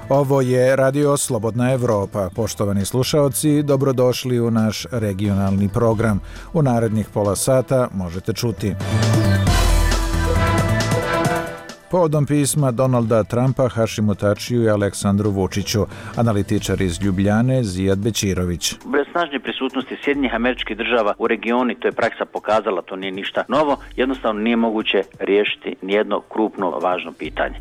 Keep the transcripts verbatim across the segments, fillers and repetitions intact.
Ovo je Radio Slobodna Evropa. Poštovani slušaoci, dobrodošli u naš regionalni program. U narednih pola sata možete čuti. Povodom pisma Donalda Trumpa Hašimu Tačiju i Aleksandru Vučiću, analitičar iz Ljubljane Zijad Bećirović. Bez snažne prisutnosti Sjedinjenih Američkih Država u regionu, to je praksa pokazala, to nije ništa novo, jednostavno nije moguće riješiti nijedno krupno važno pitanje.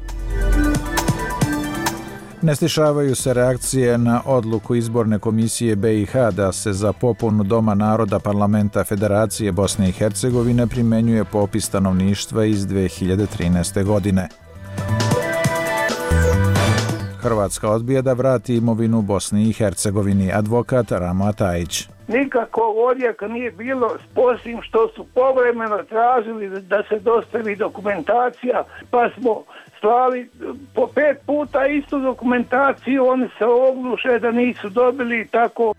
Ne stišavaju se reakcije na odluku izborne komisije be i ha da se za popunu Doma naroda Parlamenta Federacije Bosne i Hercegovine primjenjuje popis stanovništva iz dve hiljade trinaeste. godine. Hrvatska odbija da vrati imovinu Bosni i Hercegovini, advokat Ramo Atajić. Nikakvog odjeka nije bilo, osim što su povremeno tražili da se dostavi dokumentacija, pa smo slali po pet puta istu dokumentaciju, oni se ogluše da nisu dobili, tako.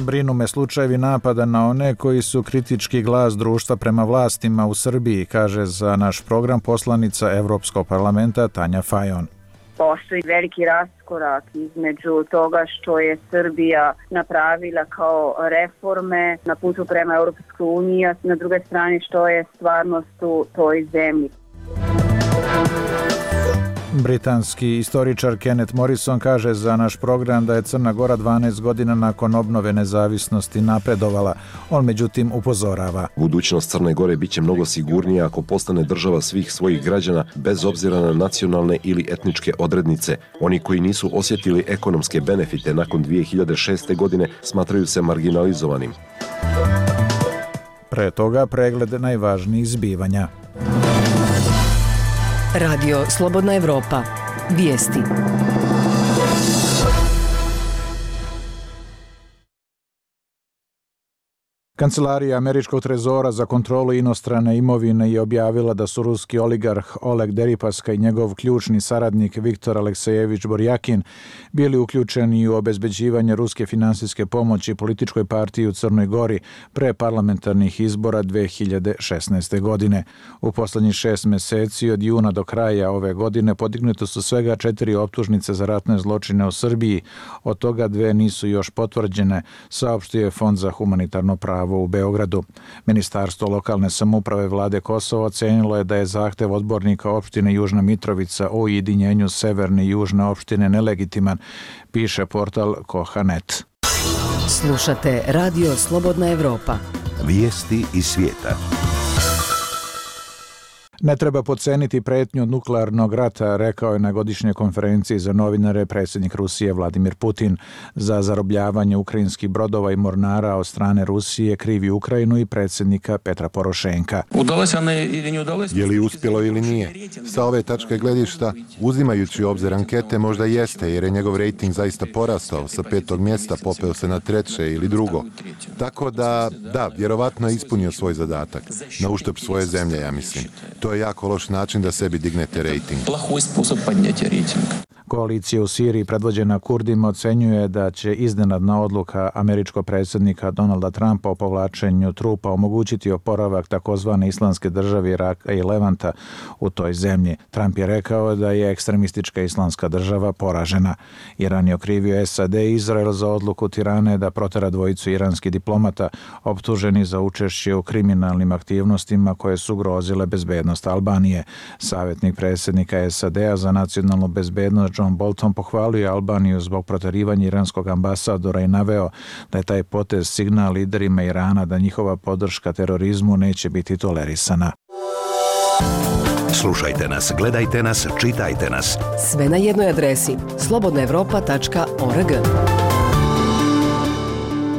Brinu me slučajevi napada na one koji su kritički glas društva prema vlastima u Srbiji, kaže za naš program poslanica Evropskog parlamenta Tanja Fajon. Postoji veliki raskorak između toga što je Srbija napravila kao reforme na putu prema Europskoj uniji, a na druge strane što je stvarnost u toj zemlji. Britanski istoričar Kenneth Morrison kaže za naš program da je Crna Gora dvanaest godina nakon obnove nezavisnosti napredovala. On međutim upozorava. Budućnost Crne Gore bit će mnogo sigurnija ako postane država svih svojih građana bez obzira na nacionalne ili etničke odrednice. Oni koji nisu osjetili ekonomske benefite nakon dvije hiljade šeste. godine smatraju se marginalizovanim. Pre toga pregled najvažnijih zbivanja. Radio Slobodna Evropa. Vijesti. Kancelarija Američkog trezora za kontrolu inostrane imovine je objavila da su ruski oligarh Oleg Deripaska i njegov ključni saradnik Viktor Aleksejević Borjakin bili uključeni u obezbeđivanje ruske finansijske pomoći političkoj partiji u Crnoj Gori pre parlamentarnih izbora dve hiljade šesnaeste. godine. U poslednjih šest meseci od juna do kraja ove godine podignute su svega četiri optužnice za ratne zločine u Srbiji, od toga dve nisu još potvrđene, saopštio je Fond za humanitarno pravo u Beogradu. Ministarstvo lokalne samouprave vlade Kosova ocenilo je da je zahtev odbornika opštine Južna Mitrovica o ujedinjenju severne i južne opštine nelegitiman, piše portal Koha tačka net. Slušate Radio Slobodna Evropa. Vijesti iz svijeta. Ne treba podceniti pretnju od nuklearnog rata, rekao je na godišnjoj konferenciji za novinare predsjednik Rusije Vladimir Putin. Za zarobljavanje ukrajinskih brodova i mornara od strane Rusije krivi Ukrajinu i predsjednika Petra Porošenka. Je li uspjelo ili nije? Sa ove tačke gledišta, uzimajući u obzir ankete, možda jeste, jer je njegov rejting zaista porastao, sa petog mjesta popeo se na treće ili drugo. Tako da, da, vjerovatno je ispunio svoj zadatak, na uštrb svoje zemlje, ja mislim. To je jako loš način da sebi dignete rejting. Koalicija u Siriji predvođena Kurdima ocenjuje da će iznenadna odluka američkog predsjednika Donalda Trumpa o povlačenju trupa omogućiti oporavak takozvane islamske države Iraka i Levanta u toj zemlji. Trump je rekao da je ekstremistička islamska država poražena. Iran je okrivio es a de i Izrael za odluku Tirane da protera dvojicu iranskih diplomata optuženi za učešće u kriminalnim aktivnostima koje su ugrozile bezbednost Albanije. Savjetnik predsjednika es a de-a za nacionalnu bezbednost John Bolton pohvalio Albaniju zbog proterivanja iranskog ambasadora i naveo da je taj potez signal liderima Irana da njihova podrška terorizmu neće biti tolerisana. Slušajte nas, gledajte nas, čitajte nas. Sve na jednoj adresi slobodna evropa tačka org.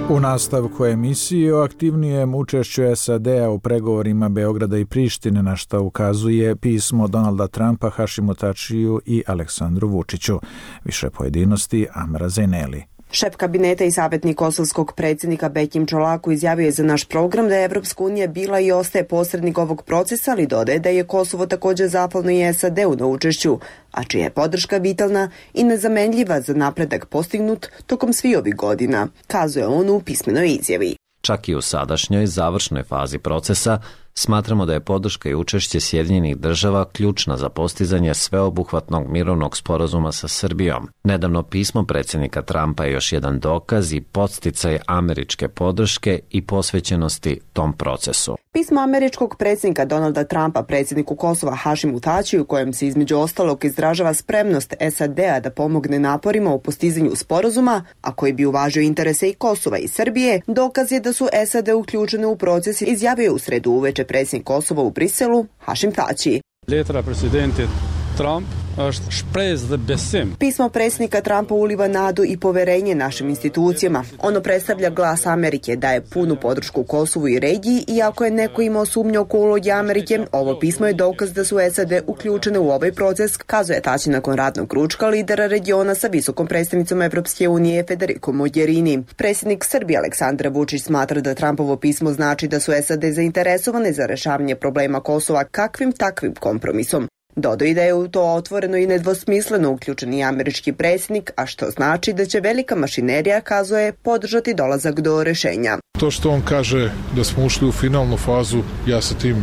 U nastavku emisije o aktivnijem učešću es a de-a u pregovorima Beograda i Prištine, na što ukazuje pismo Donalda Trumpa Hašimu Tačiju i Aleksandru Vučiću. Više pojedinosti Amra Zeneli. Šef kabineta i savjetnik kosovskog predsjednika Bekim Čolaku izjavio je za naš program da je Evropska unija bila i ostaje posrednik ovog procesa, ali dodaje da je Kosovo također zahvalno i es a de-u na učešću, a čija je podrška vitalna i nezamenljiva za napredak postignut tokom svih ovih godina, kazuje on u pismenoj izjavi. Čak i u sadašnjoj završnoj fazi procesa, Smatramo da je podrška i učešće Sjedinjenih država ključna za postizanje sveobuhvatnog mirovnog sporazuma sa Srbijom. Nedavno pismo predsjednika Trumpa je još jedan dokaz i podsticaj američke podrške i posvećenosti tom procesu. Pismo američkog predsjednika Donalda Trumpa predsjedniku Kosova Hašimu Tačiju, u kojem se između ostalog izražava spremnost S A D-a da pomogne naporima u postizanju sporazuma, a koji bi uvažio interese i Kosova i Srbije, dokaz je da su S A D uključene u proces, izjavio u sredu uveče predsjednik Kosova u Briselu Hašim Tači. Letra presidente Trump Pismo predsjednika Trumpa uliva nadu i poverenje našim institucijama. Ono predstavlja glas Amerike, daje punu podršku Kosovu i regiji, i ako je neko imao sumnje oko uloge Amerike, ovo pismo je dokaz da su S A D uključene u ovaj proces, kazuje Tači nakon radnog ručka lidera regiona sa visokom predstavnicom Evropske unije Federico Mogherini. Predsjednik Srbije Aleksandar Vučić smatra da Trumpovo pismo znači da su S A D zainteresovane za rešavanje problema Kosova kakvim takvim kompromisom. Dodao i da je u to otvoreno i nedvosmisleno uključen i američki predsjednik, a što znači da će velika mašinerija, kazuje, podržati dolazak do rešenja. To što on kaže da smo ušli u finalnu fazu, ja sa tim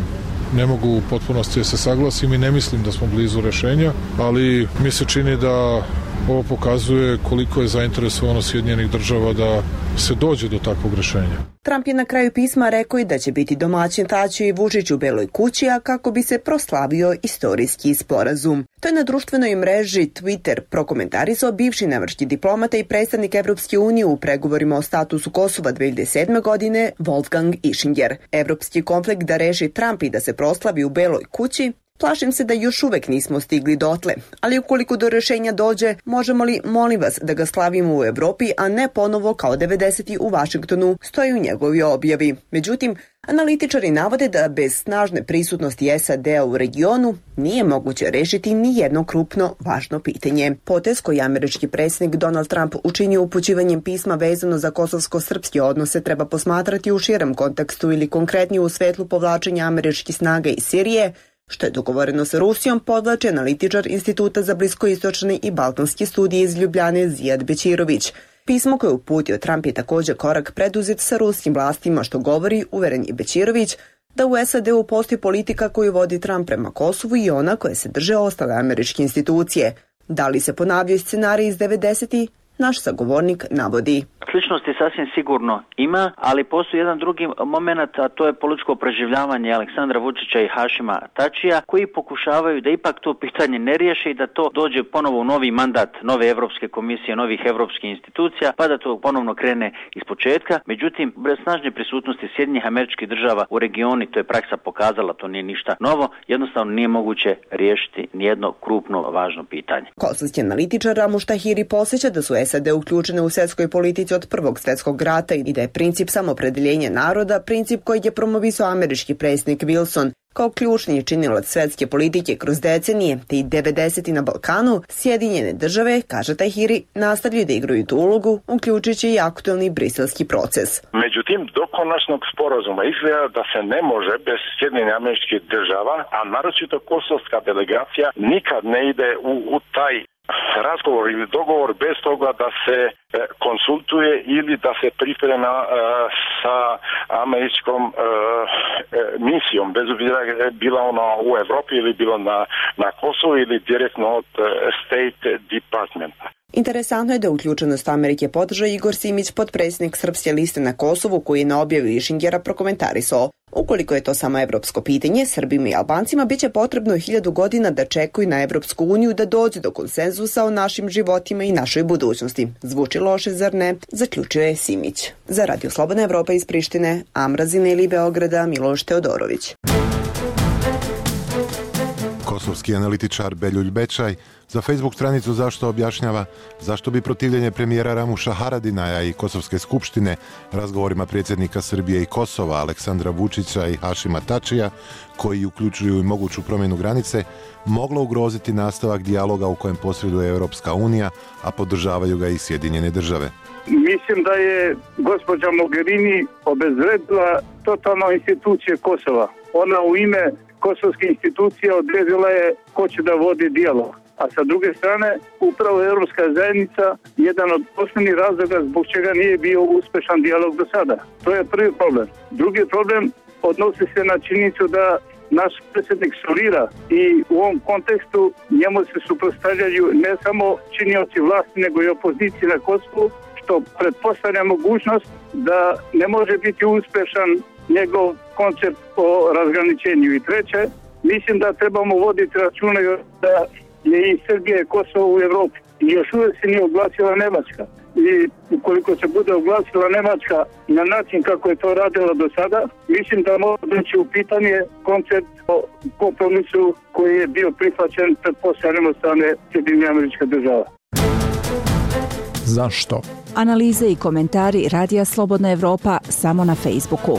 ne mogu u potpunosti da se saglasim i ne mislim da smo blizu rešenja, ali mi se čini da ovo pokazuje koliko je zainteresovano Sjedinjenih država da se dođe do takvog rešenja. Trump je na kraju pisma rekao i da će biti domaćin Tači i Vučić u Beloj kući, a kako bi se proslavio istorijski sporazum. To je na društvenoj mreži Twitter prokomentarisao bivši nemački diplomata i predstavnik Evropske unije u pregovorima o statusu Kosova dve hiljade sedme. godine Wolfgang Ischinger. Evropski konflikt da reši Trump i da se proslavi u Beloj kući, plašim se da još uvek nismo stigli dotle, ali ukoliko do rešenja dođe, možemo li, molim vas, da ga slavimo u Evropi, a ne ponovo kao devedeseti u Vašingtonu, stoji u njegovoj objavi. Međutim, analitičari navode da bez snažne prisutnosti S A D-a u regionu nije moguće rešiti ni jedno krupno važno pitanje. Potez koji američki predsjednik Donald Trump učinio upućivanjem pisma vezano za kosovsko-srpske odnose treba posmatrati u širem kontekstu ili konkretnije u svetlu povlačenja američkih snaga iz Sirije, što je dogovoreno sa Rusijom, podvlači analitičar Instituta za bliskoistočne i balkanske studije iz Ljubljane Zijad Bećirović. Pismo koje je uputio Trump je također korak preduzet sa ruskim vlastima, što govori, uveren je Bećirović, da u S A D-u postoji politika koju vodi Trump prema Kosovu i ona koje se drže ostale američke institucije. Da li se ponavljaju scenarij iz devedesetih? Naš sagovornik navodi. Sličnosti sasvim sigurno ima, ali postoji jedan drugi moment, a to je političko preživljavanje Aleksandra Vučića i Hašima Tačija, koji pokušavaju da ipak to pitanje ne riješe i da to dođe ponovo u novi mandat nove Evropske komisije, novih evropskih institucija, pa da to ponovno krene iz početka. Međutim, bez snažne prisutnosti Sjedinjenih Američkih Država u regioni, to je praksa pokazala, to nije ništa novo, jednostavno nije moguće riješiti nijedno krupno važno pitanje. Kosovski analitičar Ramuš Tahiri posjeća da su S A D uključene u svjetskoj politici od Prvog svjetskog rata i da je princip samopredeljenja naroda princip koji je promovisao američki predsjednik Wilson. Kao ključni činilac svjetske politike kroz decenije, te i devedeseti na Balkanu, Sjedinjene države, kaže Tahiri, nastavljaju da igraju tu ulogu, uključujući i aktualni briselski proces. Međutim, do konačnog sporazuma izgleda da se ne može bez Sjedinjenih Američkih Država, a naročito kosovska delegacija, nikad ne ide u, u taj razgovor ili dogovor bez toga da se e, konsultuje ili da se priprema e, sa američkom e, e, misijom, bez obzira bila ona u Evropi ili bilo na, na Kosovu ili direktno od e, State Departmenta. Interesantno je da uključenost Amerike podrža Igor Simić, potpredsjednik Srpske liste na Kosovu, koji je na objavi Ischingera prokomentarisao. Ukoliko je to samo evropsko pitanje, Srbima i Albancima bit će potrebno hiljadu godina da čekaju na Evropsku uniju da dođe do konsenzusa o našim životima i našoj budućnosti. Zvuči loše, zar ne? Zaključuje Simić. Za Radio Slobodna Evropa iz Prištine, Amrazine ili Beograda, Miloš Teodorović. Kosovski analitičar Beljulj Bečaj za Facebook stranicu Zašto objašnjava zašto bi protivljenje premijera Ramuša Haradinaja i Kosovske skupštine razgovorima predsjednika Srbije i Kosova Aleksandra Vučića i Hašima Tačija, koji uključuju i moguću promjenu granice, moglo ugroziti nastavak dijaloga u kojem posreduje Europska unija, a podržavaju ga i Sjedinjene države. Mislim da je gospođa Mogherini obezvredila totalno institucije Kosova. Ona u ime kosovske institucije odredila je ko će da vodi dijalog. A sa druge strane, upravo Europska zajednica jedan od osnovnih razloga zbog čega nije bio uspešan dijalog do sada. To je prvi problem. Drugi problem, odnosi se na činjenicu da naš predsjednik solira i u ovom kontekstu njemu se suprotstavljaju ne samo činioci vlasti nego i opozicije na Kosovu, što pretpostavlja mogućnost da ne može biti uspješan njegov koncept o razgraničenju. I treće, mislim da trebamo voditi računa da je i Srbija i Kosovo u Evropi i još uvijek se nije oglasila Nemačka. I ukoliko se bude oglasila Nemačka na način kako je to radila do sada, mislim da može doći u pitanje koncept o kompromisu koji je bio prihvaćen pretpostavljam od strane Sjedinjenih Američkih Država. Zašto? Analize i komentari Radija Slobodna Evropa samo na Facebooku.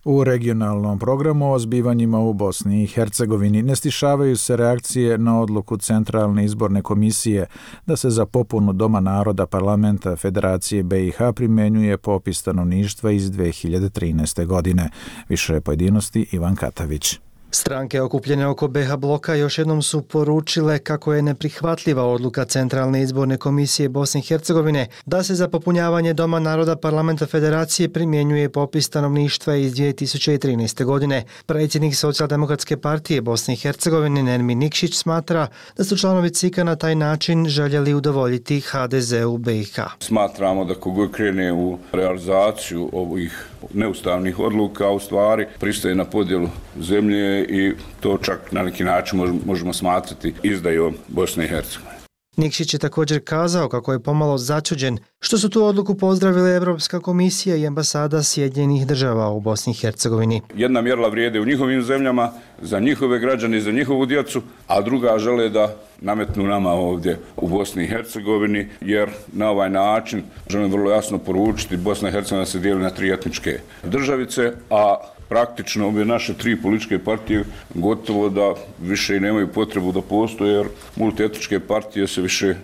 U regionalnom programu o zbivanjima u Bosni i Hercegovini ne stišavaju se reakcije na odluku Centralne izborne komisije da se za popunu Doma naroda Parlamenta Federacije B i H primenjuje popis stanovništva iz dve hiljade trinaeste. godine. Više pojedinosti Ivan Katavić. Stranke okupljene oko B H bloka još jednom su poručile kako je neprihvatljiva odluka Centralne izborne komisije Bosne i Hercegovine da se za popunjavanje Doma naroda Parlamenta Federacije primjenjuje popis stanovništva iz dvije tisuće trinaeste. godine. Predsjednik Socijaldemokratske partije Bosne i Hercegovine Nermin Nikšić smatra da su članovi C I K-a na taj način željeli udovoljiti H D Z-u B i H. Smatramo da kogod krene u realizaciju ovih neustavnih odluka u stvari pristaje na podjelu zemlje i to čak na neki način možemo smatrati izdajom Bosne i Hercegovine. Nikšić je također kazao kako je pomalo začuđen što su tu odluku pozdravile Evropska komisija i ambasada Sjedinjenih država u Bosni i Hercegovini. Jedna mjerila vrijede u njihovim zemljama, za njihove građane i za njihovu djecu, a druga žele da nametnu nama ovdje u Bosni i Hercegovini, jer na ovaj način želim vrlo jasno poručiti Bosna i Hercegovina se dijeli na tri etničke državice, a praktično ove naše tri političke partije gotovo da više i nemaju potrebu da postoje, jer multietničke partije se više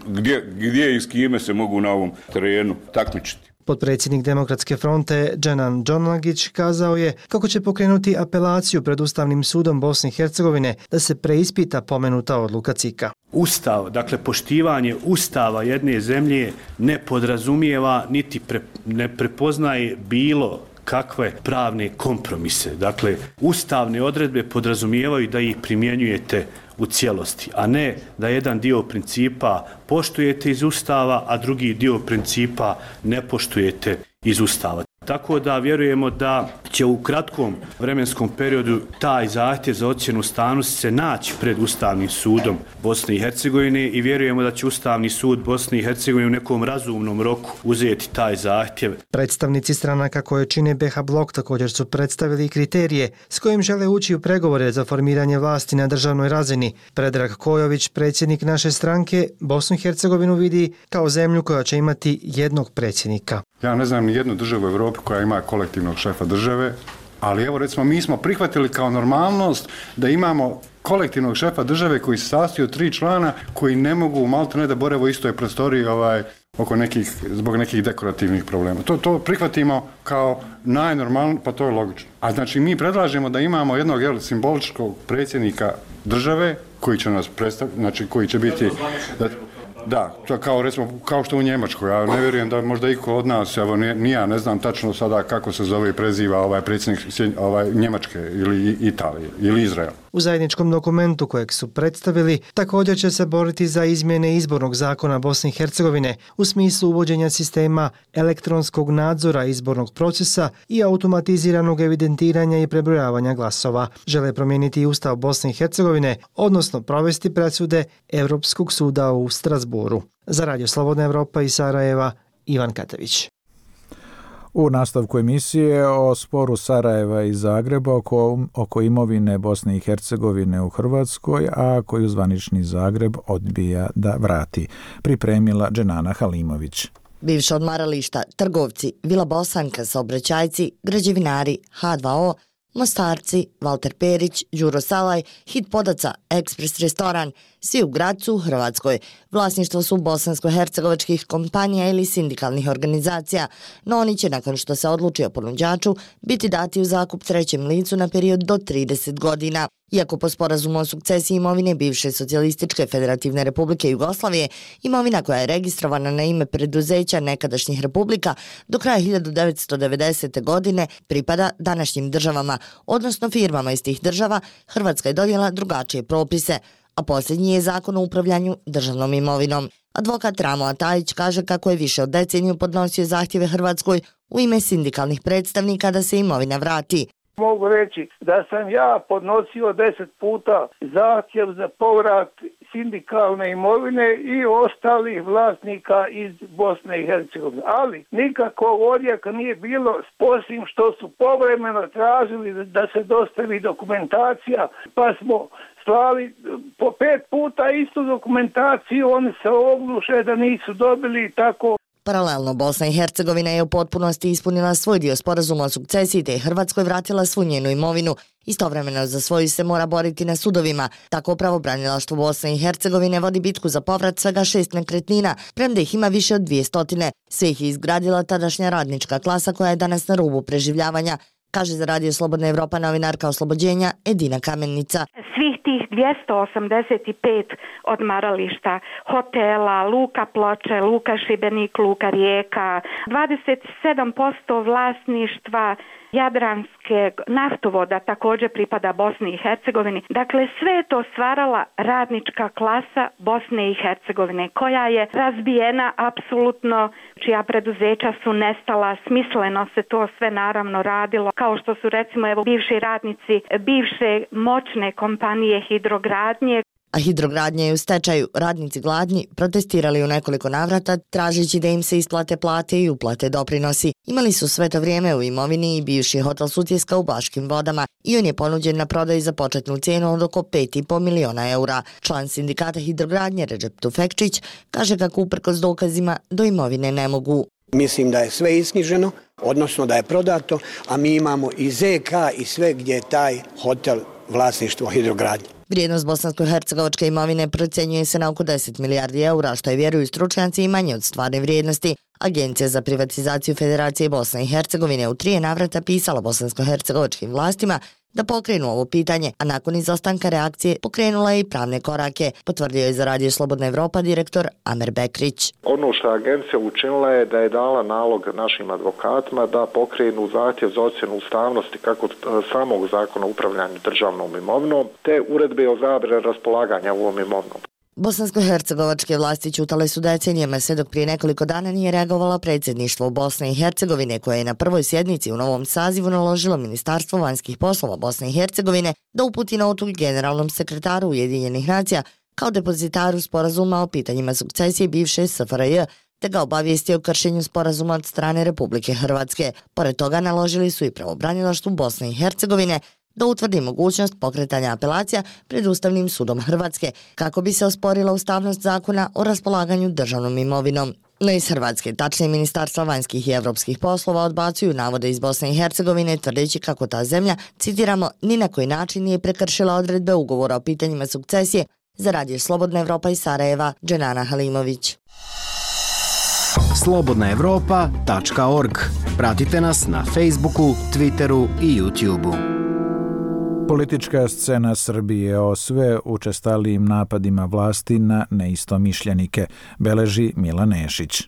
gdje, gdje i s kime se mogu na ovom terenu takmičiti. Potpredsjednik Demokratske fronte Dženan Džonlagić kazao je kako će pokrenuti apelaciju pred Ustavnim sudom Bosne i Hercegovine da se preispita pomenuta odluka C I K-a. Ustav, dakle poštivanje ustava jedne zemlje ne podrazumijeva niti pre, ne prepoznaje bilo kakve pravne kompromise. Dakle, ustavne odredbe podrazumijevaju da ih primjenjujete u cijelosti, a ne da jedan dio principa poštujete iz Ustava, a drugi dio principa ne poštujete iz Ustava. Tako da vjerujemo da će u kratkom vremenskom periodu taj zahtjev za ocjenu ustavnosti se naći pred Ustavnim sudom Bosne i Hercegovine i vjerujemo da će Ustavni sud Bosne i Hercegovine u nekom razumnom roku uzeti taj zahtjev. Predstavnici stranaka koje čine B H blok također su predstavili kriterije s kojim žele ući u pregovore za formiranje vlasti na državnoj razini. Predrag Kojović, predsjednik naše stranke, Bosnu i Hercegovinu vidi kao zemlju koja će imati jednog predsjednika. Ja ne znam ni jednu državu u Europi koja ima kolektivnog šefa države, ali evo recimo mi smo prihvatili kao normalnost da imamo kolektivnog šefa države koji se sastoji od tri člana koji ne mogu maltene da bore u istoj prostoriji ovaj, oko nekih, zbog nekih dekorativnih problema. To, to prihvatimo kao najnormalnije, pa to je logično. A znači mi predlažemo da imamo jednog jel, simboličkog predsjednika države koji će nas predstaviti, znači koji će biti... Da, Da, to kao recimo kao što u Njemačkoj. Ja ne vjerujem da možda iko od nas, evo ni ja ne znam tačno sada kako se zove i preziva ovaj predsjednik ovaj Njemačke ili Italije ili Izrael. U zajedničkom dokumentu kojeg su predstavili također će se boriti za izmjene izbornog zakona Bosne i Hercegovine u smislu uvođenja sistema elektronskog nadzora izbornog procesa i automatiziranog evidentiranja i prebrojavanja glasova. Žele promijeniti i Ustav Bosne i Hercegovine, odnosno provesti presude Europskog suda u Strasboru. Za Radio Slobodna Evropa iz Sarajeva, Ivan Katavić. U nastavku emisije o sporu Sarajeva i Zagreba oko, oko imovine Bosne i Hercegovine u Hrvatskoj, a koju zvanični Zagreb odbija da vrati, pripremila Dženana Halimović. Bivša odmarališta, trgovci, Vila Bosanka, saobraćajci, građevinari, H dva O, Mostarci, Valter Perić, Đuro Salaj, Hit Podaca, Ekspres restoran, svi u Gracu u Hrvatskoj. Vlasništvo su bosansko-hercegovačkih kompanija ili sindikalnih organizacija, no oni će nakon što se odluči o ponuđaču biti dati u zakup trećem licu na period do trideset godina. Iako po sporazumu o sukcesiji imovine bivše Socijalističke Federativne Republike Jugoslavije, imovina koja je registrovana na ime preduzeća nekadašnjih republika do kraja hiljadu devetsto devedesete. godine pripada današnjim državama, odnosno firmama iz tih država, Hrvatska je donijela drugačije propise, a posljednji je zakon o upravljanju državnom imovinom. Advokat Ramo Atajić kaže kako je više od deceniju podnosio zahtjeve Hrvatskoj u ime sindikalnih predstavnika da se imovina vrati. Mogu reći da sam ja podnosio deset puta zahtjev za povrat sindikalne imovine i ostalih vlasnika iz Bosne i Hercegovine. Ali nikakvog odjeka nije bilo, osim što su povremeno tražili da se dostavi dokumentacija, pa smo slali po pet puta istu dokumentaciju, oni se ogluše da nisu dobili i tako. Paralelno, Bosna i Hercegovina je u potpunosti ispunila svoj dio sporazuma o sukcesiji te je Hrvatskoj vratila svu njenu imovinu. Istovremeno za svoju se mora boriti na sudovima. Tako pravobranilaštvo Bosne i Hercegovine vodi bitku za povrat svega šest nekretnina, premda ih ima više od dvije stotine. Sve ih je izgradila tadašnja radnička klasa koja je danas na rubu preživljavanja, kaže za Radio Slobodna Evropa novinarka Oslobođenja Edina Kamennica. Svih tih dvjesto osamdeset pet odmarališta, hotela, luka Ploče, luka Šibenik, luka Rijeka, dvadeset sedam posto vlasništva Jadranske naftovoda također pripada Bosni i Hercegovini. Dakle, sve je to stvarala radnička klasa Bosne i Hercegovine, koja je razbijena apsolutno, čija preduzeća su nestala, smisleno se to sve naravno radilo, kao što su recimo evo bivši radnici bivše moćne kompanije Hidrogradnje. A Hidrogradnja je u stečaju. Radnici gladni protestirali u nekoliko navrata, tražeći da im se isplate plate i uplate doprinosi. Imali su sve to vrijeme u imovini i bivši hotel Sutjeska u Baškim vodama i on je ponuđen na prodaju za početnu cijenu od oko pet i po miliona eura. Član sindikata Hidrogradnje Redžep Tufekčić kaže kako uprkos dokazima do imovine ne mogu. Mislim da je sve isknjiženo, odnosno da je prodato, a mi imamo i Z K i sve gdje je taj hotel vlasništvo Hidrogradnje. Vrijednost bosansko-hercegovačke imovine procjenjuje se na oko deset milijardi eura, što je, vjeruju stručnjaci, i manje od stvarne vrijednosti. Agencija za privatizaciju Federacije Bosne i Hercegovine u tri navrata pisala bosansko-hercegovačkim vlastima da pokrenu ovo pitanje, a nakon izostanka reakcije pokrenula je i pravne korake, potvrdio je za Radio Slobodna Evropa direktor Amer Bekrić. Ono što je agencija učinila je da je dala nalog našim advokatima da pokrenu zahtjev za ocjenu ustavnosti kako samog zakona o upravljanju državnom imovinom, te uredbe o zabrani raspolaganja ovom imovinom. Bosansko-hercegovačke vlasti ćutale su decenijama sve dok prije nekoliko dana nije reagovala predsjedništvo Bosne i Hercegovine, koje je na prvoj sjednici u novom sazivu naložilo Ministarstvo vanjskih poslova Bosne i Hercegovine da uputi notu generalnom sekretaru Ujedinjenih nacija kao depozitaru sporazuma o pitanjima sukcesije bivše S F R J, te ga obavijesti o kršenju sporazuma od strane Republike Hrvatske. Pored toga naložili su i pravobranilaštvu Bosne i Hercegovine da utvrdi mogućnost pokretanja apelacija pred Ustavnim sudom Hrvatske kako bi se osporila ustavnost zakona o raspolaganju državnom imovinom. No iz Hrvatske, tačnije Ministarstva vanjskih i evropskih poslova, odbacuju navode iz Bosne i Hercegovine tvrdeći kako ta zemlja, citiramo, ni na koji način nije prekršila odredbe ugovora o pitanjima sukcesije. Za Radio Slobodna Evropa iz Sarajeva, Dženana Halimović. slobodna evropa tačka org. Pratite nas na Facebooku, Twitteru i YouTubeu. Politička scena Srbije o sve učestalijim napadima vlasti na neistomišljenike beleži Milan Nešić.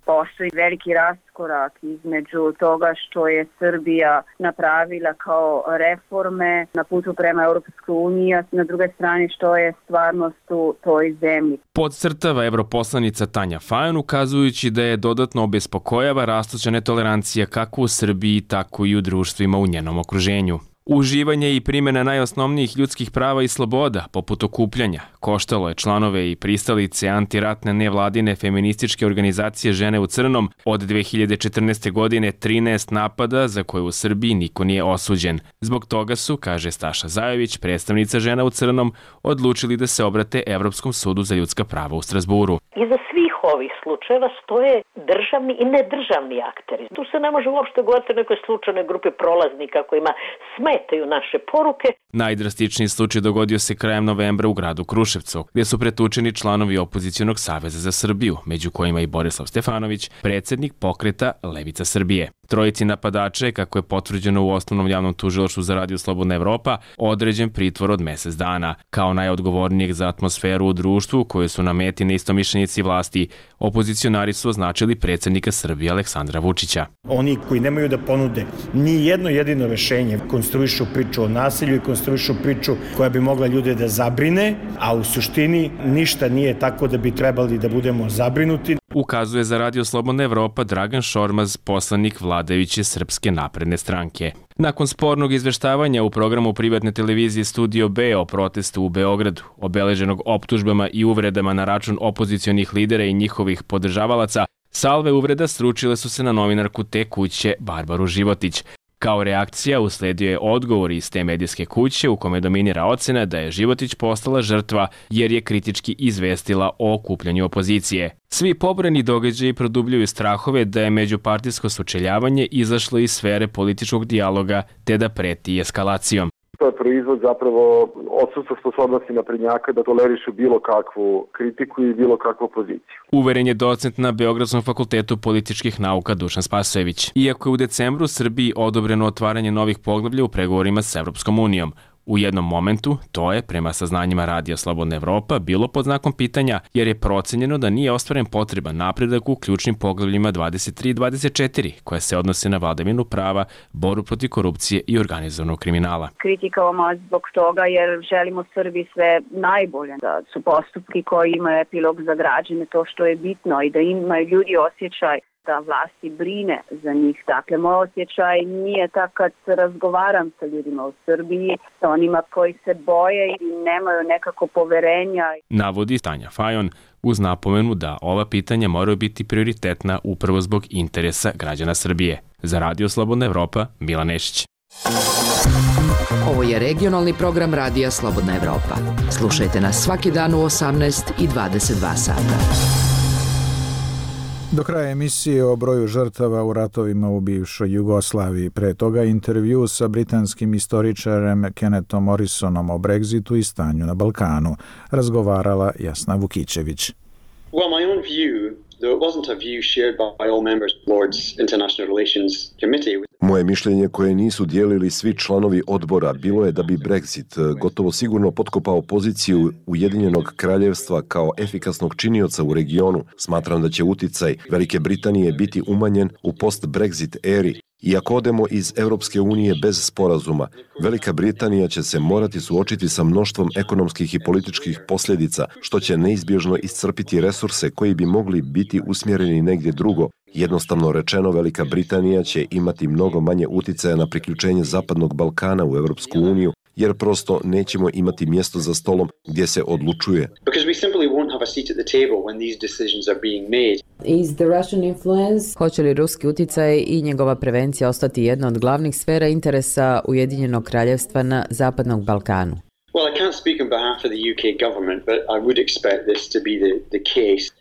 Postoji veliki raskorak između toga što je Srbija napravila kao reforme na putu prema Europskoj uniji, a na druge strane što je stvarnost u toj zemlji. Podcrtava europoslanica Tanja Fajon, ukazujući da je dodatno obespokojava rastuća netolerancija kako u Srbiji, tako i u društvima u njenom okruženju. Uživanje i primjena najosnovnijih ljudskih prava i sloboda, poput okupljanja, koštalo je članove i pristalice antiratne nevladine feminističke organizacije Žene u crnom od dve hiljade četrnaeste. godine trinaest napada za koje u Srbiji niko nije osuđen. Zbog toga su, kaže Staša Zajović, predstavnica Žena u crnom, odlučili da se obrate Evropskom sudu za ljudska prava u Strasburu. Iza svih ovih slučajeva stoje državni i nedržavni akteri. Tu se ne može uopšte govoriti o nekoj slučajnoj grupi prolaznika kojima smetaju naše poruke. Najdrastičniji slučaj dogodio se krajem novembra u gradu Kruševcu, gdje su pretučeni članovi opozicionog saveza za Srbiju, među kojima i Borislav Stefanović, predsjednik pokreta Levica Srbije. Trojici napadača je, kako je potvrđeno u osnovnom javnom tužilaštvu za Radio Slobodna Evropa, određen pritvor od mjesec dana. Kao najodgovornijeg za atmosferu u društvu, koju su na meti neistomišljenici vlasti, opozicionari su označili predsjednika Srbije Aleksandra Vučića. Oni koji nemaju da ponude ni jedno jedino rešenje, konstruišu priču o nasilju i konstruišu priču koja bi mogla ljude da zabrine, a u suštini ništa nije tako da bi trebali da budemo zabrinuti. Ukazuje za Radio Slobodna Evropa Dragan Šormaz, poslanik vladajuće Srpske napredne stranke. Nakon spornog izveštavanja u programu privatne televizije Studio B o protestu u Beogradu, obeleženog optužbama i uvredama na račun opozicionih lidera i njihovih podržavalaca, salve uvreda sručile su se na novinarku te kuće Barbaru Životić. Kao reakcija usledio je odgovor iz te medijske kuće u kome dominira ocena da je Životić postala žrtva jer je kritički izvestila o okupljanju opozicije. Svi pobrojani događaji produbljuju strahove da je međupartijsko sučeljavanje izašlo iz sfere političkog dijaloga te da preti eskalacijom. To je proizvod zapravo odsustva sposobnosti naprednjaka da tolerišu bilo kakvu kritiku i bilo kakvu opoziciju. Uveren je docent na Beogradskom fakultetu političkih nauka Dušan Spasojević. Iako je u decembru Srbiji odobreno otvaranje novih poglavlja u pregovorima s Evropskom unijom, u jednom momentu to je, prema saznanjima Radija Slobodna Evropa, bilo pod znakom pitanja jer je procenjeno da nije ostvaren potreban napredak u ključnim poglavljima dvadeset tri i dvadeset četiri, koje se odnose na vladavinu prava, borbu protiv korupcije i organizovanog kriminala. Kritikavamo zbog toga jer želimo Srbiji sve najbolje, da su postupki koji imaju epilog za građane to što je bitno i da imaju ljudi osjećaj da vlasti brine za njih. Dakle, moj osjećaj nije tak kad razgovaram sa ljudima u Srbiji, sa onima koji se boje i nemaju nekako poverenja. Navodi Tanja Fajon uz napomenu da ova pitanja moraju biti prioritetna upravo zbog interesa građana Srbije. Za Radio Slobodna Evropa, Milan Nešić. Ovo je regionalni program Radija Slobodna Evropa. Slušajte nas svaki dan u osamnaest i dvadeset dva sata. Do kraja emisije o broju žrtava u ratovima u bivšoj Jugoslaviji. Pre toga intervju sa britanskim istoričarem Kennethom Morrisonom o Brexitu i stanju na Balkanu. Razgovarala Jasna Vukićević. Well, my own view, though it wasn't a view shared by all members of the Lord's International Relations Committee. Moje mišljenje koje nisu dijelili svi članovi odbora bilo je da bi Brexit gotovo sigurno potkopao poziciju Ujedinjenog kraljevstva kao efikasnog činioca u regionu. Smatram da će uticaj Velike Britanije biti umanjen u post-Brexit eri. I ako odemo iz Europske unije bez sporazuma, Velika Britanija će se morati suočiti sa mnoštvom ekonomskih i političkih posljedica, što će neizbježno iscrpiti resurse koji bi mogli biti usmjereni negdje drugo. Jednostavno rečeno, Velika Britanija će imati mnogo manje uticaja na priključenje Zapadnog Balkana u Europsku uniju, jer prosto nećemo imati mjesto za stolom gdje se odlučuje. Hoće li ruski utjecaj i njegova prevencija ostati jedna od glavnih sfera interesa Ujedinjenog kraljevstva na Zapadnog Balkanu?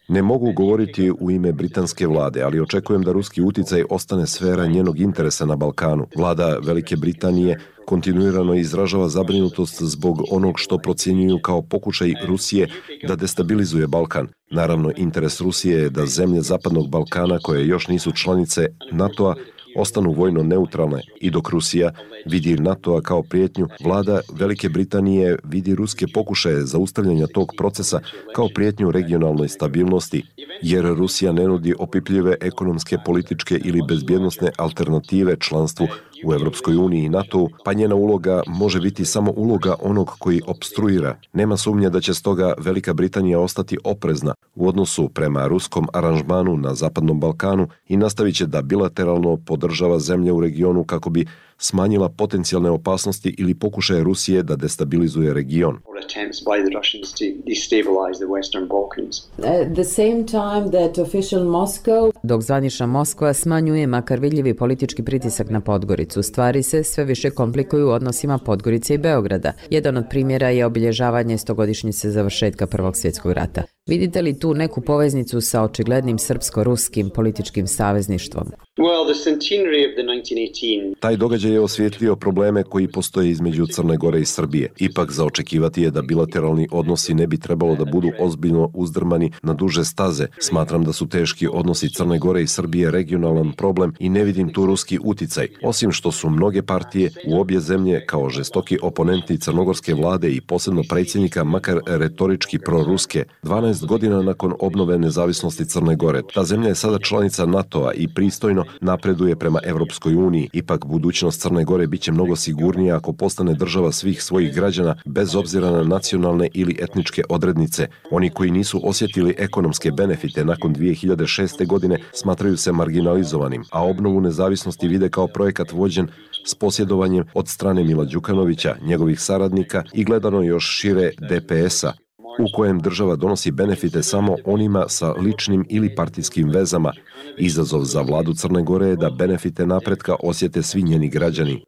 Ne mogu govoriti u ime britanske vlade, ali očekujem da ruski utjecaj ostane sfera njenog interesa na Balkanu. Vlada Velike Britanije kontinuirano izražava zabrinutost zbog onog što procjenjuju kao pokušaj Rusije da destabilizuje Balkan. Naravno, interes Rusije je da zemlje Zapadnog Balkana koje još nisu članice NATO-a ostanu vojno neutralne i dok Rusija vidi NATO-a kao prijetnju, vlada Velike Britanije vidi ruske pokušaje zaustavljanja tog procesa kao prijetnju regionalnoj stabilnosti, jer Rusija ne nudi opipljive ekonomske, političke ili bezbjednosne alternative članstvu u Europskoj uniji i NATO-u, pa njena uloga može biti samo uloga onog koji opstruira. Nema sumnje da će stoga Velika Britanija ostati oprezna u odnosu prema ruskom aranžmanu na Zapadnom Balkanu i nastavit će da bilateralno podržava zemlje u regionu kako bi smanjila potencijalne opasnosti ili pokušaje Rusije da destabilizuje region. Attempts by the Russians to destabilize the Western Balkans. At the same time that official Moscow, dok zvanična Moskva smanjuje makar vidljivi politički pritisak na Podgoricu, stvari se sve više komplikuju u odnosima Podgorice i Beograda. Jedan od primjera je obilježavanje stogodišnjice završetka Prvog svjetskog rata. Vidite li tu neku poveznicu sa očiglednim srpsko-ruskim političkim savezništvom? Well, the centenary of the nineteen eighteen. Taj događaj je osvijetlio probleme koji postoje između Crne Gore i Srbije. Ipak za očekivati je da bilateralni odnosi ne bi trebalo da budu ozbiljno uzdrmani na duže staze. Smatram da su teški odnosi Crne Gore i Srbije regionalan problem i ne vidim tu ruski uticaj. Osim što su mnoge partije u obje zemlje kao žestoki oponenti crnogorske vlade i posebno predsjednika makar retorički proruske. dvanaest godina nakon obnove nezavisnosti Crne Gore, ta zemlja je sada članica NATO-a i pristojno napreduje prema Evropskoj uniji. Ipak budućnost Crne Gore biće mnogo sigurnija ako postane država svih svojih građana bez obzira na nacionalne ili etničke odrednice. Oni koji nisu osjetili ekonomske benefite nakon dvije hiljade šeste. godine smatraju se marginalizovanim, a obnovu nezavisnosti vide kao projekat vođen s posjedovanjem od strane Mila Đukanovića, njegovih saradnika i gledano još šire D P S-a, u kojem država donosi benefite samo onima sa ličnim ili partijskim vezama. Izazov za vladu Crne Gore je da benefite napretka osjete svi njeni građani.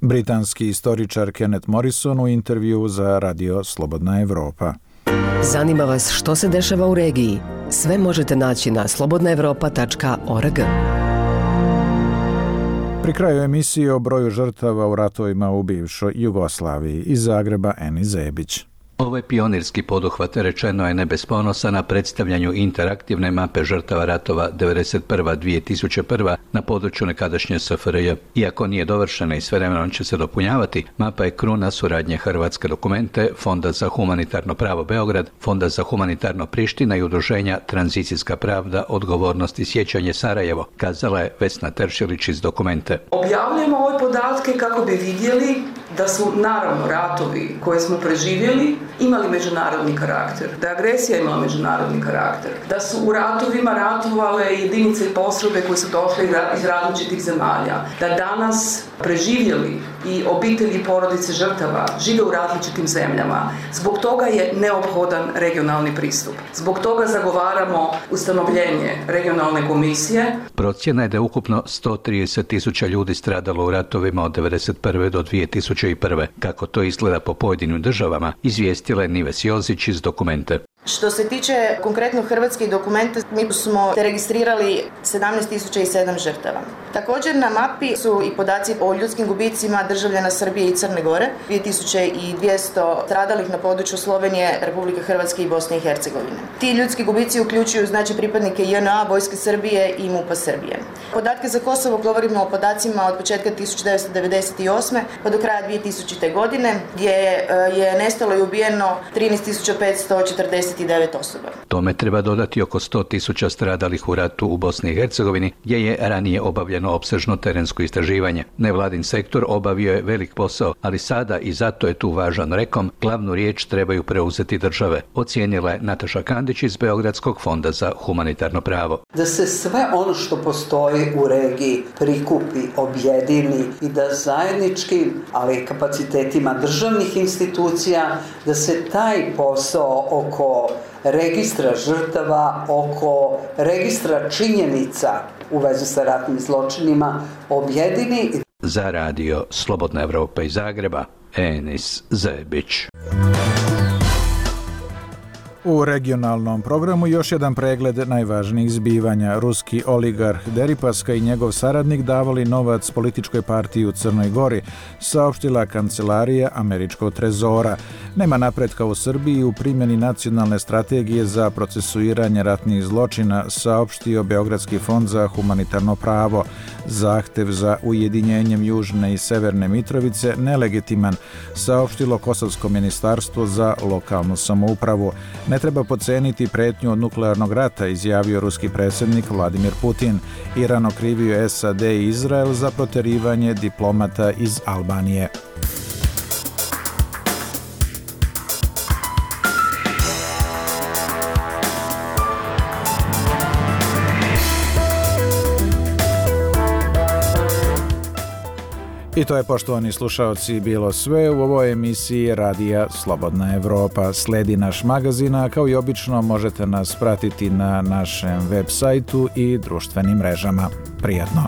Britanski istoričar Kenneth Morrison u intervju za Radio Slobodna Evropa. Zanima vas što se dešava u regiji? Sve možete naći na slobodna evropa tačka org. Pri kraju emisije o broju žrtava u ratovima u bivšoj Jugoslaviji. Iz Zagreba Eni Zebić. Ovo je pionirski poduhvat, rečeno je ne bez ponosa, na predstavljanju interaktivne mape žrtava ratova devedeset prva do dvije tisuće prve. na području nekadašnje S F R J. Iako nije dovršena i svevremeno će se dopunjavati, mapa je kruna suradnje Hrvatske dokumente, Fonda za humanitarno pravo Beograd, Fonda za humanitarno Priština i udruženja Tranzicijska pravda, odgovornost i sjećanje Sarajevo, kazala je Vesna Teršilić iz dokumente. Objavljujemo ove podatke kako bi vidjeli da su naravno ratovi koje smo preživjeli imali međunarodni karakter, da je agresija imala međunarodni karakter, da su u ratovima ratovale jedinice i postrojbe koje su došle iz različitih zemalja, da danas preživjeli i obitelji i porodice žrtava žive u različitim zemljama. Zbog toga je neophodan regionalni pristup. Zbog toga zagovaramo ustanovljenje regionalne komisije. Procjena je da je ukupno sto trideset tisuća ljudi stradalo u ratovima od devedeset prve do dvije tisuće prve. Kako to izgleda po pojedinim državama, izvijestila je Nives Jozić iz dokumente. Što se tiče konkretno hrvatskih dokumenta, mi smo registrirali sedamnaest tisuća sedam žrtava. Također na mapi su i podaci o ljudskim gubicima državljana Srbije i Crne Gore, dvije tisuće dvjesto stradalih na području Slovenije, Republike Hrvatske i Bosne i Hercegovine. Ti ljudski gubici uključuju znači pripadnike J N A, Vojske Srbije i MUP-a Srbije. Podatke za Kosovo govorimo o podacima od početka tisuće devetsto devedeset osme pa do kraja dvije tisućite. godine, gdje je nestalo i ubijeno trinaest tisuća petsto četrdeset devet osoba. Tome treba dodati oko sto tisuća stradalih u ratu u Bosni i Hercegovini, gdje je ranije obavljeno opsežno terensko istraživanje. Nevladin sektor obavio je velik posao, ali sada i zato je tu važan rekom, glavnu riječ trebaju preuzeti države, ocijenila je Nataša Kandić iz Beogradskog fonda za humanitarno pravo. Da se sve ono što postoji u regiji prikupi, objedini i da zajedničkim, ali kapacitetima državnih institucija, da se taj posao oko registra žrtava, oko registra činjenica u vezi sa ratnim zločinima objedini. Za radio Slobodna Evropa iz Zagreba, Enis Zebić. U regionalnom programu još jedan pregled najvažnijih zbivanja. Ruski oligarh Deripaska i njegov saradnik davali novac političkoj partiji u Crnoj Gori, saopštila kancelarija američkog trezora. Nema napretka u Srbiji u primjeni nacionalne strategije za procesuiranje ratnih zločina, saopštio Beogradski fond za humanitarno pravo. Zahtev za ujedinjenjem Južne i Severne Mitrovice nelegitiman, saopštilo Kosovsko ministarstvo za lokalnu samoupravu. Ne treba podceniti pretnju od nuklearnog rata, izjavio ruski predsjednik Vladimir Putin. Iran okrivio S A D i Izrael za proterivanje diplomata iz Albanije. I to je, poštovani slušaoci, bilo sve u ovoj emisiji Radija Slobodna Evropa. Sledi naš magazin, a kao i obično možete nas pratiti na našem web sajtu i društvenim mrežama. Prijatno!